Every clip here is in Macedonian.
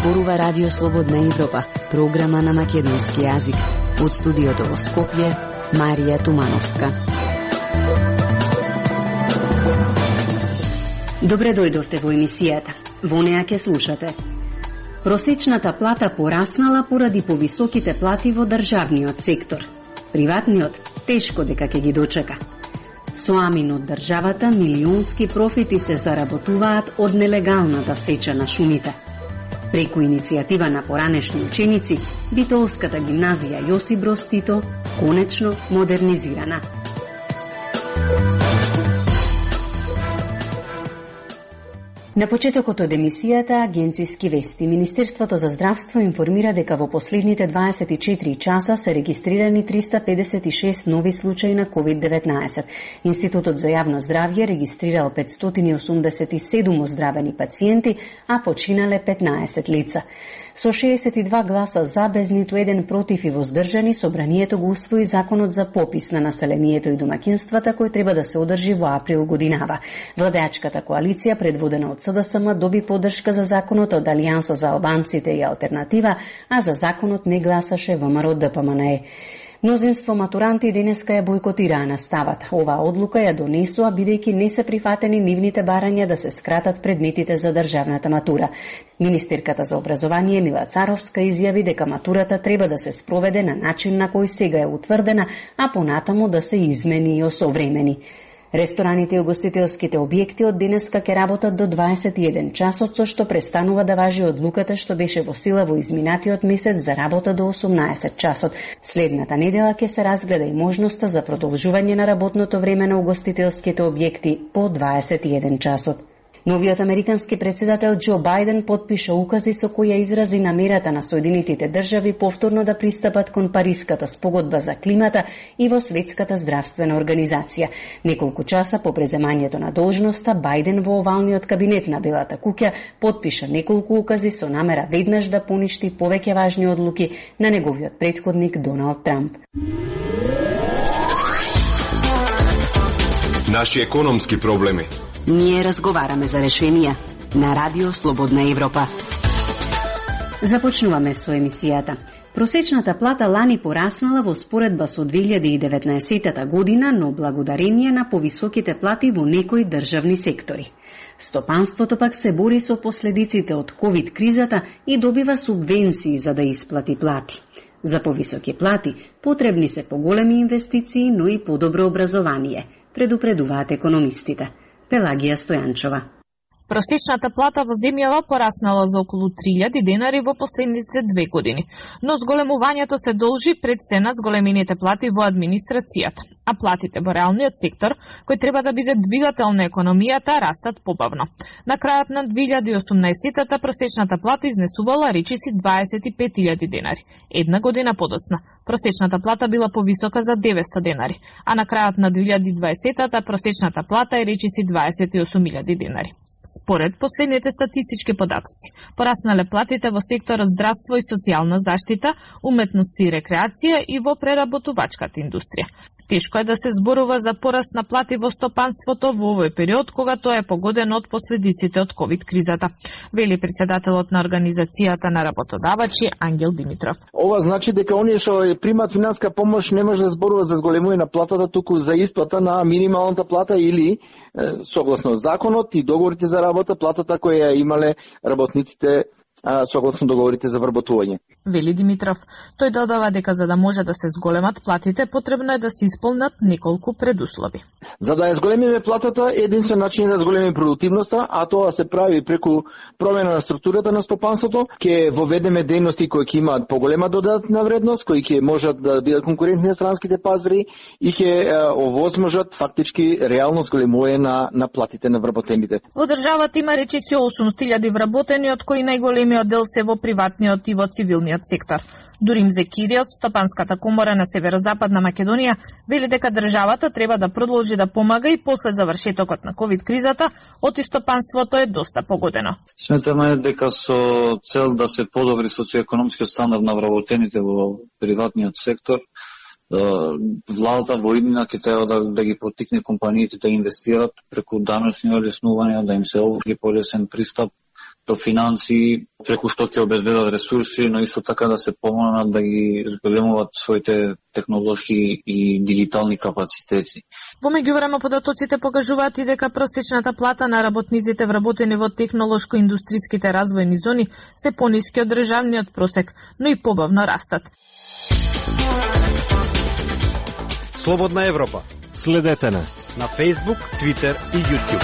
зборува Радио Слободна Европа, програма на македонски јазик. Од студиото во Скопје, Марија Тумановска. Добре дојдовте во емисијата. Во неа ќе слушате. Просечната плата пораснала поради повисоките плати во државниот сектор. Приватниот тешко дека ќе ги дочека. Со амин од државата милионски профити се заработуваат од нелегалната сеча на шумите. Преку иницијатива на поранешни ученици, Битолската гимназија Јосип Броз Тито конечно модернизирана. На почетокот од емисијата Агенциски вести, Министерството за здравство информира дека во последните 24 часа се регистрирани 356 нови случаи на COVID-19. Институтот за јавно здравје регистрирал 587 оздравени пациенти, а починале 15 лица. Со 62 гласа за, без ниту еден против и воздржани, собранието го усвои законот за попис на населението и домакинствата, кој треба да се одржи во април годинава. Владеачката коалиција, предводена од СДСМ, доби поддршка за законот од Алијанса за албанците и Алтернатива, а за законот не гласаше ВМРО ДПМНЕ. Мнозинство матуранти денеска ја бойкотираа наставата. Оваа одлука ја донесоа бидејќи не се прифатени нивните барања да се скратат предметите за државната матура. Министерката за образование Мила Царовска изјави дека матурата треба да се спроведе на начин на кој сега е утврдена, а понатаму да се измени и осовремени. Рестораните и угостителските објекти од денеска ќе работат до 21 часот, со што престанува да важи одлуката што беше во сила во изминатиот месец за работа до 18 часот. Следната недела ќе се разгледа и можноста за продолжување на работното време на угостителските објекти по 21 часот. Новиот американски председател Џо Бајден потпиша укази со кои ја изрази намерата на Соединетите држави повторно да пристапат кон Париската спогодба за климата и во Светската здравствена организација. Неколку часа по преземањето на должноста, Бајден во овалниот кабинет на Белата куќа потпиша неколку укази со намера веднаш да поништи повеќе важни одлуки на неговиот претходник Доналд Трамп. Наши економски проблеми. Ние разговараме за решенија на Радио Слободна Европа. Започнуваме со емисијата. Просечната плата лани пораснала во споредба со 2019 година, но благодарение на повисоките плати во некои државни сектори. Стопанството пак се бори со последиците од ковид кризата и добива субвенции за да исплати плати. За повисоки плати потребни се поголеми инвестиции, но и подобро образование, предупредуваат економистите. Пелагија Стојанчова. Просечната плата во земјава пораснала за околу 3000 денари во последните 2 години, но зголемувањето се должи пред цена зголемените плати во администрацијата, а платите во реалниот сектор, кој треба да биде двигател на економијата, растат побавно. На крајот на 2018-та просечната плата изнесувала речиси 25.000 денари. Една година подоцна, просечната плата била повисока за 900 денари, а на крајот на 2020-та просечната плата е речиси 28.000 денари. Според последните статистички податоци, пораснале платите во секторот здравство и социјална заштита, уметност и рекреација и во преработувачката индустрија. Тешко е да се зборува за пораст на плати во стопанството во овој период, кога тоа е погодено од последиците од ковид-кризата, вели председателот на Организацијата на работодавачи Ангел Димитров. Ова значи дека оние што примат финанска помош не може да зборува за зголемување на платата, туку за исплата на минималната плата или согласно законот и договорите за работа, платата која имале работниците согласно договорите за вработување. Вели Димитров. Тој додава дека за да може да се зголемат платите, потребно е да се исполнат неколку предуслови. За да ја зголемиме платата, единствен начин е да зголемиме продуктивноста, а тоа се прави преку промена на структурата на стопанството, ќе воведеме дејности кои ќе имаат поголема додатна вредност, кои ќе можат да бидат конкурентни на странските пазари и ќе овозможат фактички реално зголемување на платите на вработените. Во државата има речиси 800.000 вработени, од кои најголемиот дел се во приватниот и во цивилниот сектор. Дурим Зекири од Стопанската комора на Северозападна Македонија вели дека државата треба да продолжи да помага и после завршетокот на ковид-кризата, оти стопанството е доста погодено. Сметаме дека со цел да се подобри социоекономскиот стандард на вработените во приватниот сектор, владата во иднина ќе треба да ги поттикне компаниите да инвестират преку данъчни олеснувања, да им се офри полесен пристап до финанси, преку што ќе обезбедат ресурси, но исто така да се помогнат да ги зголемуваат своите технолошки и дигитални капацитети. Во меѓувреме податоците покажуваат и дека просечната плата на работниците вработени во технолошко-индустриските развојни зони се пониски од државниот просек, но и побавно растат. Слободна Европа. Следете на Facebook, Twitter и YouTube.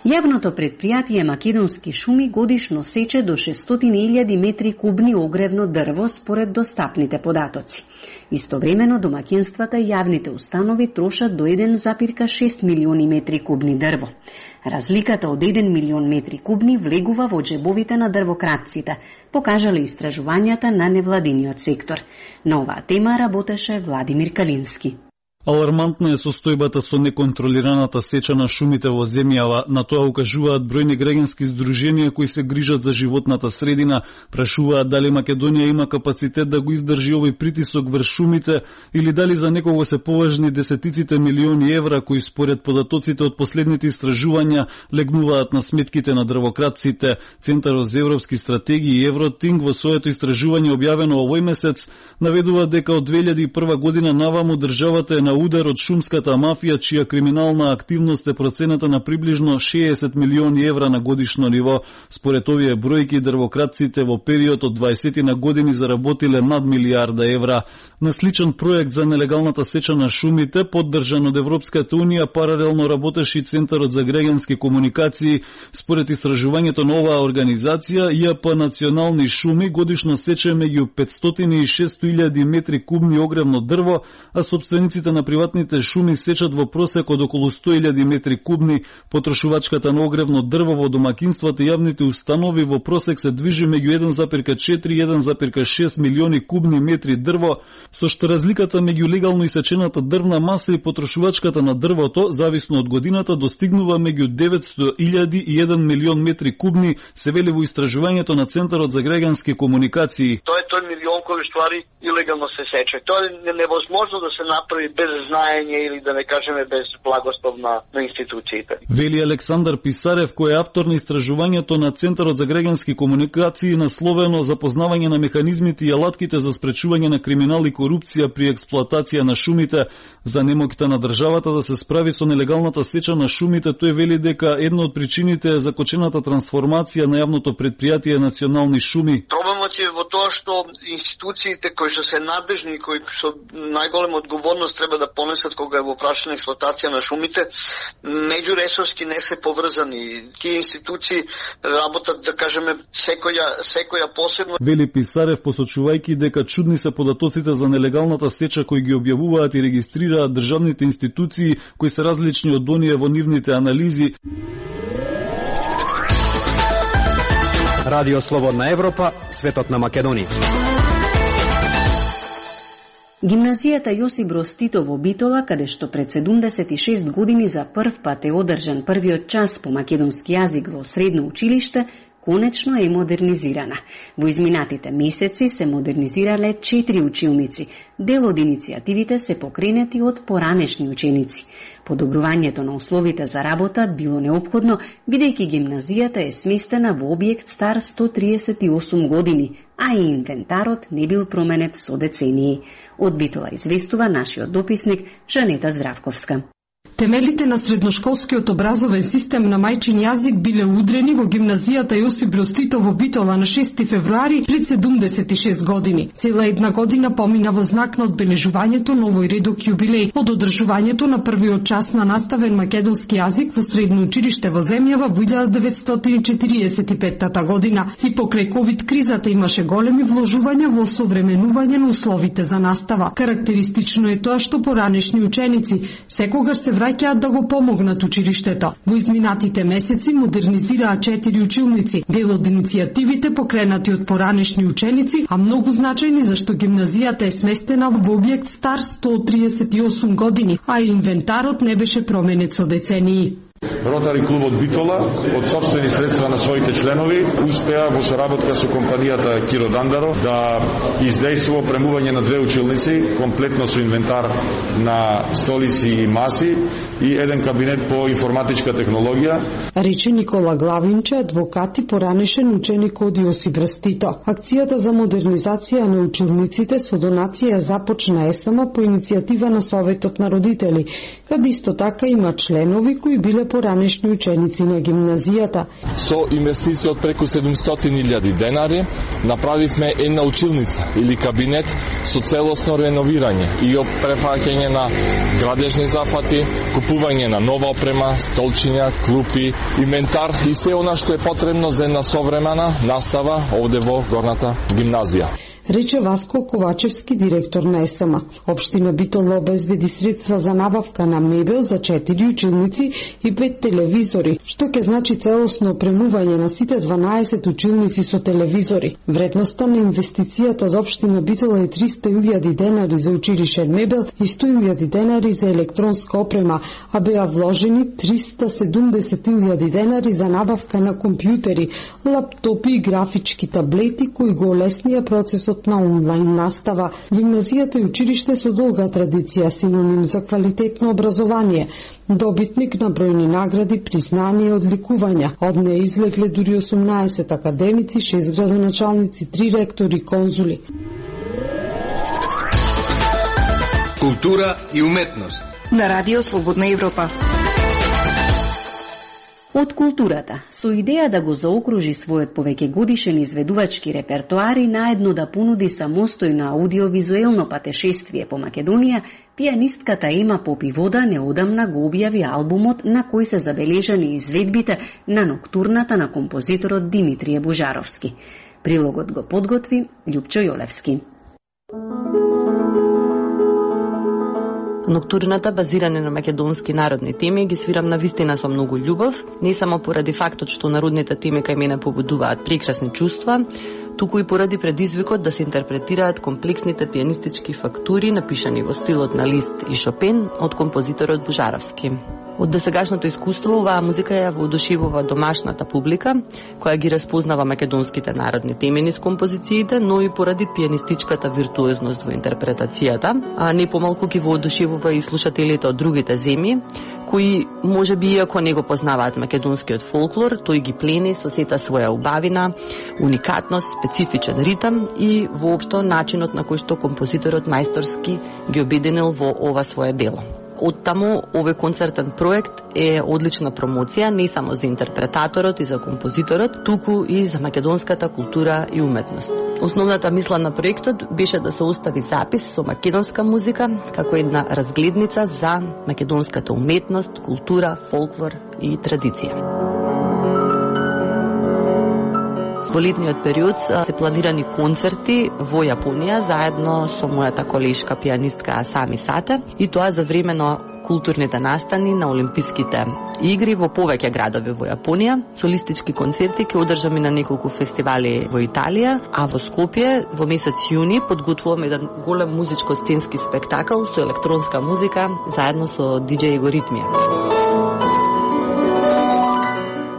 Јавното предпријатие Македонски шуми годишно сече до 600.000 метри кубни огревно дрво според достапните податоци. Истовремено домаќинствата и јавните установи трошат до 1,6 милиони метри кубни дрво. Разликата од 1 милион метри кубни влегува во џебовите на дрвократците, покажале истражувањата на невладиниот сектор. На оваа тема работеше Владимир Калински. Алармантна е состојбата со неконтролираната сеча на шумите во земјава. На тоа укажуваат бројни граѓански здруженија кои се грижат за животната средина. Прашуваат дали Македонија има капацитет да го издржи овој притисок врз шумите или дали за некого се поважни десетиците милиони евра кои според податоците од последните истражувања легнуваат на сметките на дрвократците. Центарот за европски стратегии и Евротинг во своето истражување објавено овој месец наведува дека од 2001 година наваму државата е на удар од шумската мафија, чија криминална активност е процената на приближно 60 милиони евра на годишно ниво. Според овие бројки, дрвократците во период од 20 на години заработиле над милијарда евра. На сличен проект за нелегалната сеча на шумите, поддржан од Европската унија, паралелно работеше и Центарот за граѓански комуникации. Според истражувањето на оваа организација, ЈП Национални шуми годишно сече меѓу 500 и 600.000 метри кубни огревно дрво, а собствениците на приватните шуми сечат во просек од околу 100.000 метри кубни. Потрошувачката на огревно дрво во домаќинствата и јавните установи во просек се движи меѓу 1,4 и 1,6 милиони кубни метри дрво, со што разликата меѓу легално исечената дрвна маса и потрошувачката на дрвото, зависно од годината, достигнува меѓу 900.000 и 1 милион метри кубни, се вели во истражувањето на Центарот за граѓански комуникации. Тој милион кој ствари илегално се сече. Тоа е невозможно да се направи без знаење или да не кажеме без благослов на институциите. Вели Александар Писарев, кој е автор на истражувањето на Центарот за граѓански комуникации, насловено Запознавање на механизмите и алатките за спречување на криминал и корупција при експлоатација на шумите. За немоќта на државата да се справи со нелегалната сеча на шумите, тој вели дека една од причините е закочената трансформација на јавното предпријатие Национални шуми. Проблемот е во тоа што институциите кои што се надежни, кои со најголема одговорност треба да понесат кога е во прашање експлоатација на шумите, меѓуресорски не се поврзани. Тие институции работат, да кажеме, секоја посебно. Вели Писарев, посочувајќи дека чудни се податоците за нелегалната сеча кои ги објавуваат и регистрираат државните институции, кои се различни од оние во нивните анализи. Радио Слободна Европа, светот на Македонија. Гимназијата Јосип Броз Тито во Битола, каде што пред 76 години за прв пат е одржан првиот час по македонски јазик во средно училиште, конечно е модернизирана. Во изминатите месеци се модернизирале 4 училници. Дел од иницијативите се покренети од поранешни ученици. Подобрувањето на условите за работа било неопходно, бидејќи гимназијата е сместена во објект стар 138 години, а и инвентарот не бил променет со децении. Од Битола известува нашиот дописник Жанета Здравковска. Темелите на средношколскиот образовен систем на мајчин јазик биле удрени во гимназијата Јосип Броз Тито во Битола на 6 февруари пред 76 години. Цела една година помина во знак на одбележувањето на овој редок јубилеј од одржувањето на првиот час на наставен македонски јазик во средно училиште во земјава во 1945 година. И покрај ковид кризата имаше големи вложувања во осовременување на условите за настава. Карактеристично е тоа што поранешни ученици секогаш се враќаат да го помогнат училиштето. Во изминатите месеци модернизираа 4 училници, дел од иницијативите покренати од поранешни ученици, а многу значајни зашто гимназијата е сместена во објект стар 138 години, а инвентарот не беше променет со децении. Ротари клубот Битола од сопствени средства на своите членови успеа во соработка со компанијата Киро Дандаро да издействува премување на 2 училници, комплетно со инвентар на столици и маси и еден кабинет по информатичка технологија. Рече Никола Главинче, адвокат и поранешен ученик од Јосип Брз Тито. Акцијата за модернизација на училниците со донација започна ЕСМ по иницијатива на Советот на родители, каде исто така има членови кои биле поранешни ученици на гимназијата. Со инвестиција од преку 700.000 денари направивме една училница или кабинет со целосно реновирање и префаќање на градежни зафати, купување на нова опрема, столчиња, клупи, инвентар и се она што е потребно за една современа настава овде во горната гимназија. Рече Васко Ковачевски, директор на ЕСМ. Општина Битола обезбеди средства за набавка на мебел за 4 училници и 5 телевизори, што ќе значи целосно опремување на сите 12 училници со телевизори. Вредноста на инвестицијата од општина Битола е 300.000 денари за училишен мебел и 100.000 денари за електронска опрема, а беа вложени 370.000 денари за набавка на компјутери, лаптопи и графички таблети кои го олеснија процесот на онлайн настава. Гимназијата е училиште со долга традиција, синоним за квалитетно образование, добитник на бројни награди, признание и одликувања. Од неја излегле дури 18 академици, 6 градоначалници, 3 ректори, конзули. Култура и уметност на Радио Слободна Европа. Од културата, со идеја да го заокружи својот повеќегодишен изведувачки репертоар и наедно да понуди самостојно аудиовизуелно патешествие по Македонија, пианистката Ема Попивода неодамна го објави албумот на кој се забележани изведбите на ноктурната на композиторот Димитрije Божаровски. Прилогот го подготви Љупчо Јолевски. Ноктурната, базирана на македонски народни теми, ги свирам на вистина со многу љубов, не само поради фактот што народните теми кај мене побудуваат прекрасни чувства, туку и поради предизвикот да се интерпретираат комплексните пианистички фактури напишани во стилот на Лист и Шопен од композиторот Божаровски. Од досегашното искуство, оваа музика ја воодушевува домашната публика, која ги распознава македонските народни теми низ композициите, но и поради пианистичката виртуозност во интерпретацијата, а не помалку ги воодушевува и слушателите од другите земји, кои можеби иако не го познаваат македонскиот фолклор, тој ги плени со сета своја убавина, уникатност, специфичен ритам и воопшто начинот на кој што композиторот мајсторски ги обединил во ова свое дело. Оттаму, овој концертен проект е одлична промоција не само за интерпретаторот и за композиторот, туку и за македонската култура и уметност. Основната мисла на проектот беше да се остави запис со македонска музика како една разгледница за македонската уметност, култура, фолклор и традиција. Во летниот период се планирани концерти во Јапонија заедно со мојата колешка пианистка Сами Сате и тоа за време на културните настани на Олимписките игри во повеќе градови во Јапонија. Солистички концерти ќе одржаме на неколку фестивали во Италија, а во Скопје во месец јуни подготвуваме еден голем музичко-сценски спектакл со електронска музика заедно со диџеј Его Ритмија.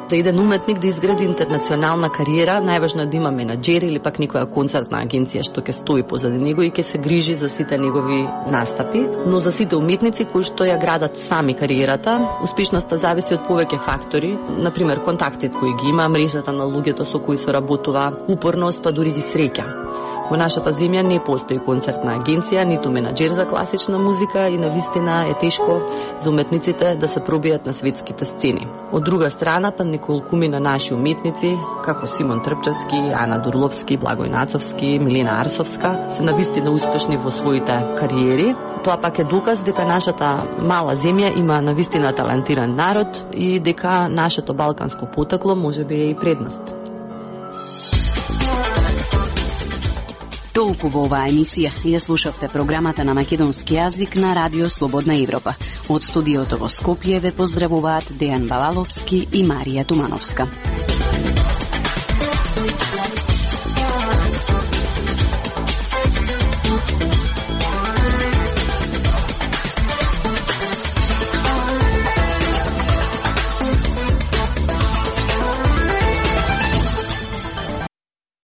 За еден уметник да изгради интернационална кариера, најважно е да има менаџер или пак некоја концертна агенција што ќе стои позади него и ќе се грижи за сите негови настапи. Но за сите уметници кои што ја градат сами кариерата, успешноста зависи од повеќе фактори, например контактите кои ги има, мрежата на луѓето со кои се работува, упорност, па дури и среќа. Во нашата земја не постои концертна агенција, ниту менаџер за класична музика и навистина е тешко за уметниците да се пробијат на светските сцени. Од друга страна, па неколкумина наши уметници, како Симон Трпчевски, Ана Дурловски, Благој Нацовски, Милена Арсовска, се навистина успешни во своите кариери. Тоа пак е доказ дека нашата мала земја има навистина талантиран народ и дека нашето балканско потекло можеби е и предност. Толку во оваа емисија ја слушавте програмата на македонски јазик на Радио Слободна Европа. Од студиото во Скопје ве поздравуваат Дејан Балаловски и Марија Тумановска.